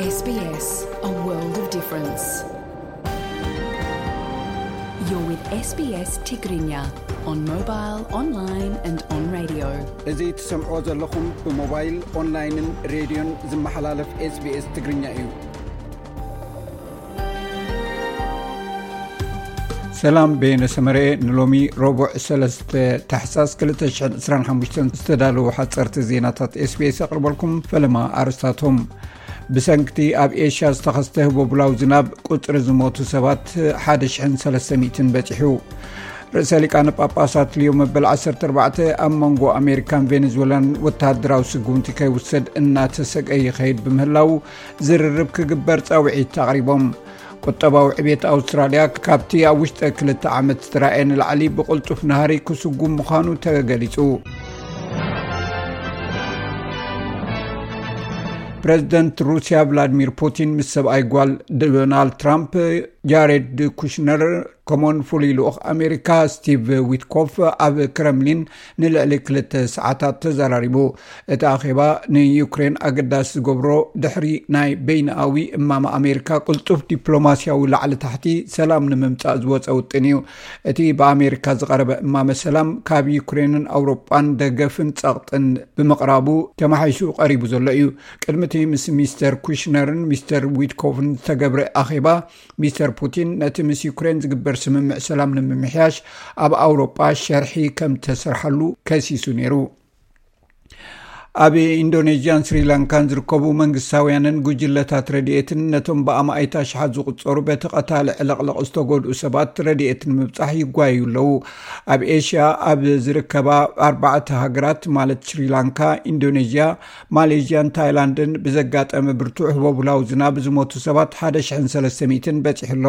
S B S, a world of difference. You're with S B S Tigrinya on mobile, online and on radio. እዚ ትሰምዕዎ ዘለኹም ብሞባይል፣ ኦንላይንን ሬድዮን ዝመሓላለፍ SBS ትግርኛ እዩ። ሰላም፣ በየነ ሰመረ። ንሎሚ ረቡዕ ሰለስተ ታሕሳስ ክልተ ሽሕን ዕስራን ሓሙሽተን ዝተዳለዉ ሓጸርቲ ዜናታት SBS ኣቕርበልኩም። ፈለማ ኣርስታቶም። ብሰንክቲ ኣብ ኤሽያ ዝተኸስተ ህቦብላዊ ዝናብ ቁጽሪ ዝሞቱ ሰባት ሓደ ሽሕን ሰለስተ ሚእትን በጺሑ። ርእሰ ሊቃነ ጳጳሳት ሊዮ መበል ዓሰርተ ኣርባዕተ ኣብ መንጎ ኣሜሪካን ቬኔዙዌላን ወተሃደራዊ ስጉምቲ ከይውሰድ እናተሰገ ይኸይድ ብምህላው ዝርርብ ክግበር ጻውዒት ኣቕሪቦም። ቁጠባዊ ዕቤት ኣውስትራልያ ካብቲ ኣብ ውሽጠ ክልተ ዓመት ዝተራእየ ንላዕሊ ብቕልጡፍ ናህሪ ክስጉም ምዃኑ ተገሊጹ። ፕረዚደንት ሩስያ ቭላድሚር ፑቲን ምስ ሰብኣይ ጓል ዶናልድ ትራምፕ ጃሬድ ኩሽነር፣ ከምኡውን ፍሉይ ልኡኽ ኣሜሪካ ስቲቭ ዊትኮፍ ኣብ ክረምሊን ንልዕሊ ክልተ ሰዓታት ተዘራሪቡ። እቲ ኣኼባ ንዩክሬን ኣገዳሲ ዝገብሮ፣ ድሕሪ ናይ በይንኣዊ እማመ ኣሜሪካ ቅልጡፍ ዲፕሎማስያዊ ላዕሊ ታሕቲ ሰላም ንምምጻእ ዝወጸ ውጥን እዩ። እቲ ብኣሜሪካ ዝቐረበ እማመ ሰላም ካብ ዩክሬንን ኣውሮጳን ደገፍን ጸቕጥን ብምቕራቡ ተመሓይሹ ቀሪቡ ዘሎ እዩ። ቅድሚ እቲ ምስ ሚስተር ኩሽነርን ሚስተር ዊትኮፍን ዝተገብረ ኣኼባ፣ ሚስተር ፑቲን ነቲ ምስ ዩክሬን ዝግበር ስምምዕ ሰላም ንምምሕያሽ ኣብ ኣውሮጳ ሸርሒ ከም ተሰርሓሉ ከሲሱ ነይሩ። ኣብ ኢንዶኔዥያን ስሪላንካን ዝርከቡ መንግስታውያንን ጉጅለታት ረድኤትን ነቶም ብኣማኢት ኣሽሓት ዝቑጸሩ በቲ ቀታሊ ዕልቕልቕ ዝተጎድኡ ሰባት ረድኤት ንምብጻሕ ይጓየዩ ኣለዉ። ኣብ ኤሽያ ኣብ ዝርከባ ኣርባዕተ ሃገራት፣ ማለት ስሪላንካ፣ ኢንዶኔዥያ፣ ማሌዥያን ታይላንድን ብዘጋጠመ ብርቱዕ ህቦብላዊ ዝናብ ዝሞቱ ሰባት ሓደ ሽሕን ሰለስተ ሚእትን በጺሑ ኣሎ።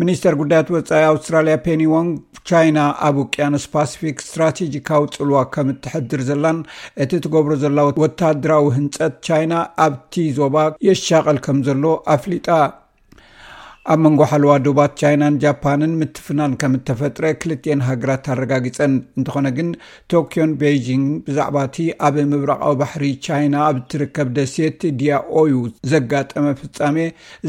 ሚኒስተር ጉዳያት ወጻኢ ኣውስትራልያ ፔኒ ዎንግ፣ ቻይና ኣብ ውቅያኖስ ፓሲፊክ ስትራቴጂካዊ ጽልዋ ከም እትሕድር ዘላን እቲ ትገብሮ ዘላ ወተሃደራዊ ህንጸት ቻይና ኣብቲ ዞባ የሻቐል ከም ዘሎ ኣፍሊጣ። ኣብ መንጎ ሓለዋ ዶባት ቻይናን ጃፓንን ምትፍናን ከም እተፈጥረ ክልቲኤን ሃገራት ኣረጋጊጸን። እንተኾነ ግን፣ ቶክዮን ቤይጂንግ ብዛዕባ እቲ ኣብ ምብራቓዊ ባሕሪ ቻይና ኣብ እትርከብ ደሴት ዲያኦዩ ዘጋጠመ ፍጻሜ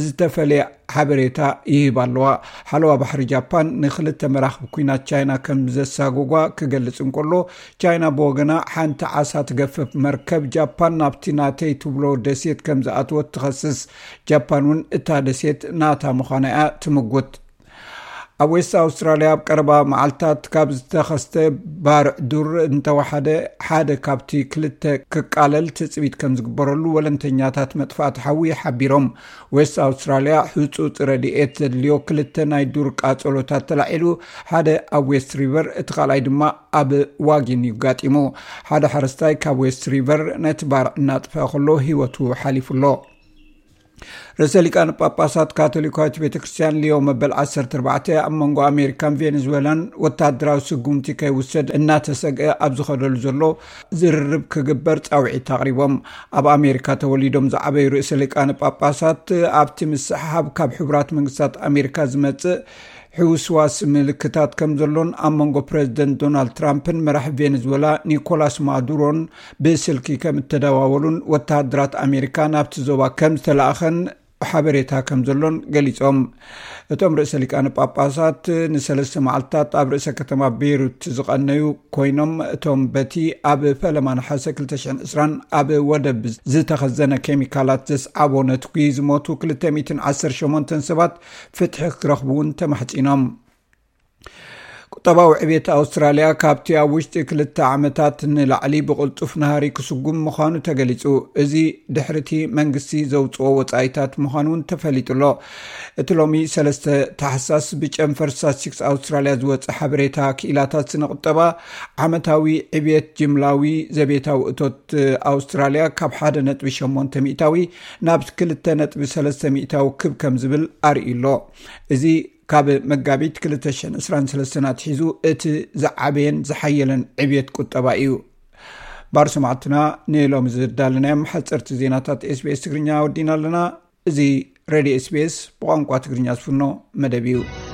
ዝተፈለየ ሓበሬታ ይህባ ኣለዋ። ሓለዋ ባሕሪ ጃፓን ንክልተ መራኽብ ኲናት ቻይና ከም ዘሳጎጓ ክገልጽ እንከሎ፣ ቻይና ብወገና ሓንቲ ዓሳ ትገፍፍ መርከብ ጃፓን ናብቲ ናተይ ትብሎ ደሴት ከም ዝኣትወት ትኸስስ። ጃፓን እውን እታ ደሴት ናታ ምዃና እያ ትምጉት። ኣብ ዌስት ኣውስትራልያ ኣብ ቀረባ መዓልታት ካብ ዝተኸስተ ባርዕ ዱር እንተወሓደ ሓደ ካብቲ ክልተ ክቃለል ትጽቢት ከም ዝግበረሉ ወለንተኛታት መጥፋእቲ ሓዊ ሓቢሮም። ዌስት ኣውስትራልያ ህጹጽ ረድኤት ዘድልዮ ክልተ ናይ ዱር ቃጸሎታት ተላዒሉ፣ ሓደ ኣብ ዌስት ሪቨር፣ እቲ ካልኣይ ድማ ኣብ ዋጊን እዩ ጋጢሙ። ሓደ ሓረስታይ ካብ ዌስት ሪቨር ነቲ ባርዕ እናጥፈአ ከሎ ህይወቱ ሓሊፉ ኣሎ። ርእሰ ሊቃነ ጳጳሳት ካቶሊካዊት ቤተ ክርስቲያን ሊዮ መበል ዓሰርተ ኣርባዕተ ኣብ መንጎ ኣሜሪካን ቬኔዙዌላን ወታደራዊ ስጉምቲ ከይውሰድ እናተሰግአ ኣብ ዝኸደሉ ዘሎ ዝርርብ ክግበር ጻውዒት ኣቕሪቦም። ኣብ ኣሜሪካ ተወሊዶም ዝዓበዩ ርእሰ ሊቃነ ጳጳሳት፣ ኣብቲ ምስሕሓብ ካብ ሕቡራት መንግስታት ኣሜሪካ ዝመጽእ ሕውስዋስ ምልክታት ከም ዘሎን ኣብ መንጎ ፕረዚደንት ዶናልድ ትራምፕን መራሒ ቬኔዙዌላ ኒኮላስ ማዱሮን ብስልኪ ከም እተደዋወሉን ወተሃደራት ኣሜሪካ ናብቲ ዞባ ከም ዝተላእኸን ሓበሬታ ከም ዘሎን ገሊጾም። እቶም ርእሰ ሊቃነ ጳጳሳት ንሰለስተ መዓልትታት ኣብ ርእሰ ከተማ ቤይሩት ዝቐነዩ ኮይኖም፣ እቶም በቲ ኣብ ፈለማ ነሓሰ ክልተ ሽሕን ዕስራን ኣብ ወደብ ዝተኸዘነ ኬሚካላት ዘስዓቦ ነትጒ ዝሞቱ ክልተ ሚእትን ዓሰርተ ሸሞንተን ሰባት ፍትሒ ክረኽቡ እውን ተማሕጺኖም። ቁጠባዊ ዕቤት ኣውስትራልያ ካብቲ ኣብ ውሽጢ ክልተ ዓመታት ንላዕሊ ብቕልጡፍ ናህሪ ክስጉም ምዃኑ ተገሊጹ። እዚ ድሕሪቲ መንግስቲ ዘውጽኦ ወጻኢታት ምዃኑ እውን ተፈሊጡ ኣሎ። እቲ ሎሚ ሰለስተ ታሕሳስ ብጨንፈር ስታትስቲክስ ኣውስትራልያ ዝወጸ ሓበሬታ ክኢላታት ስነ ቁጠባ፣ ዓመታዊ ዕብየት ጅምላዊ ዘቤታዊ እቶት ኣውስትራልያ ካብ ሓደ ነጥቢ ሸሞንተ ሚእታዊ ናብ ክልተ ነጥቢ ሰለስተ ሚእታዊ ክብ ከም ዝብል ኣርእዩ ኣሎ። እዚ ካብ መጋቢት ክልተ ሽሕን ዕስራን ሰለስተን ኣትሒዙ እቲ ዝዓበየን ዝሓየለን ዕብየት ቁጠባ እዩ። ባር ሰማዕትና፣ ንሎሚ ዘዳለናዮም ሓፀርቲ ዜናታት SBS ትግርኛ ወዲና ኣለና። እዚ ሬድዮ SBS ብቋንቋ ትግርኛ ዝፍኖ መደብ እዩ።